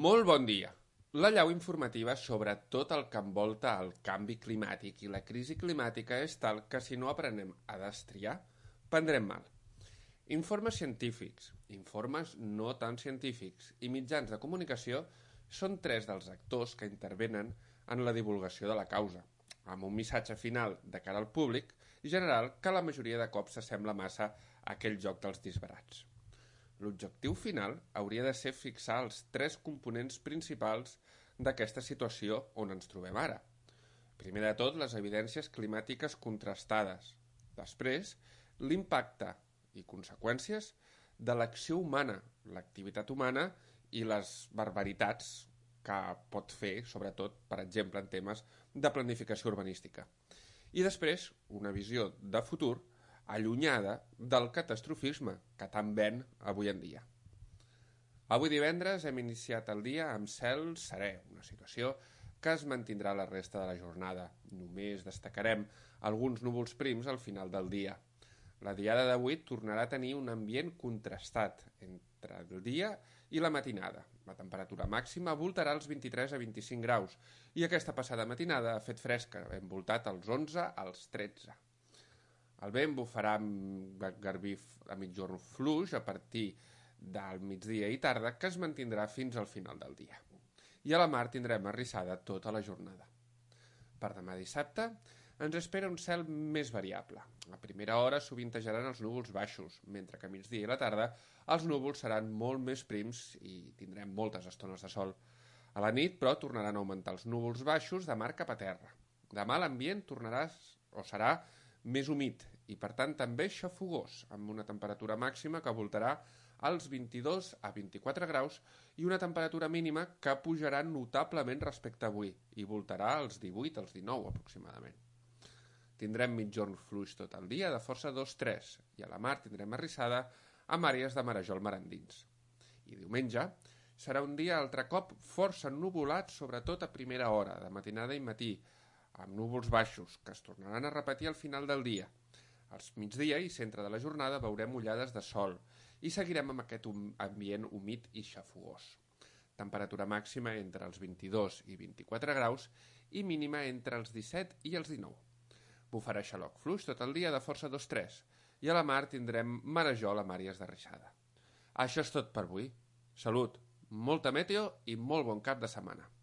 Molt bon dia. La llau informativa sobre tot el que envolta el canvi climàtic i la crisi climàtica és tal que si no aprenem a destriar, prendrem mal. Informes científics, informes no tan científics i mitjans de comunicació són tres dels actors que intervenen en la divulgació de la causa, amb un missatge final de cara al públic general que la majoria de cops s'assembla massa a aquell joc dels disbarats. L'objectiu final hauria de ser fixar els tres components principals d'aquesta situació on ens trobem ara. Primer de tot, les evidències climàtiques contrastades. Després, l'impacte i conseqüències de l'acció humana, l'activitat humana i les barbaritats que pot fer, sobretot, per exemple, en temes de planificació urbanística. I després, una visió de futur allunyada del catastrofisme que tant ven avui en dia. Avui divendres hem iniciat el dia amb cel serè, una situació que es mantindrà la resta de la jornada. Només destacarem alguns núvols prims al final del dia. La diada d'avui tornarà a tenir un ambient contrastat entre el dia i la matinada. La temperatura màxima voltarà als 23 a 25 graus i aquesta passada matinada ha fet fresca, hem voltat als 11 als 13. El vent bufarà amb garbí a mitjorn fluix a partir del migdia i tarda, que es mantindrà fins al final del dia. I a la mar tindrem arrissada tota la jornada. Per demà dissabte ens espera un cel més variable. A primera hora sovintejaran els núvols baixos, mentre que a migdia i a la tarda els núvols seran molt més prims i tindrem moltes estones de sol. A la nit, però, tornaran a augmentar els núvols baixos de mar cap a terra. Demà l'ambient serà més humit i, per tant, també xafogós, amb una temperatura màxima que voltarà als 22 a 24 graus i una temperatura mínima que pujarà notablement respecte a avui i voltarà als 18 als 19 aproximadament. Tindrem mitjorn fluix tot el dia de força 2-3 i a la mar tindrem arrissada amb àrees de marejol mar endins. I diumenge serà un dia altre cop força ennuvolat, sobretot a primera hora, de matinada i matí, amb núvols baixos, que es tornaran a repetir al final del dia. Al migdia i centre de la jornada veurem ullades de sol i seguirem amb aquest ambient humit i xafogós. Temperatura màxima entre els 22 i 24 graus i mínima entre els 17 i els 19. Bufarà xaloc fluix tot el dia de força 2-3 i a la mar tindrem marejol amb àrees de rixada. Això és tot per avui. Salut, molta meteo i molt bon cap de setmana.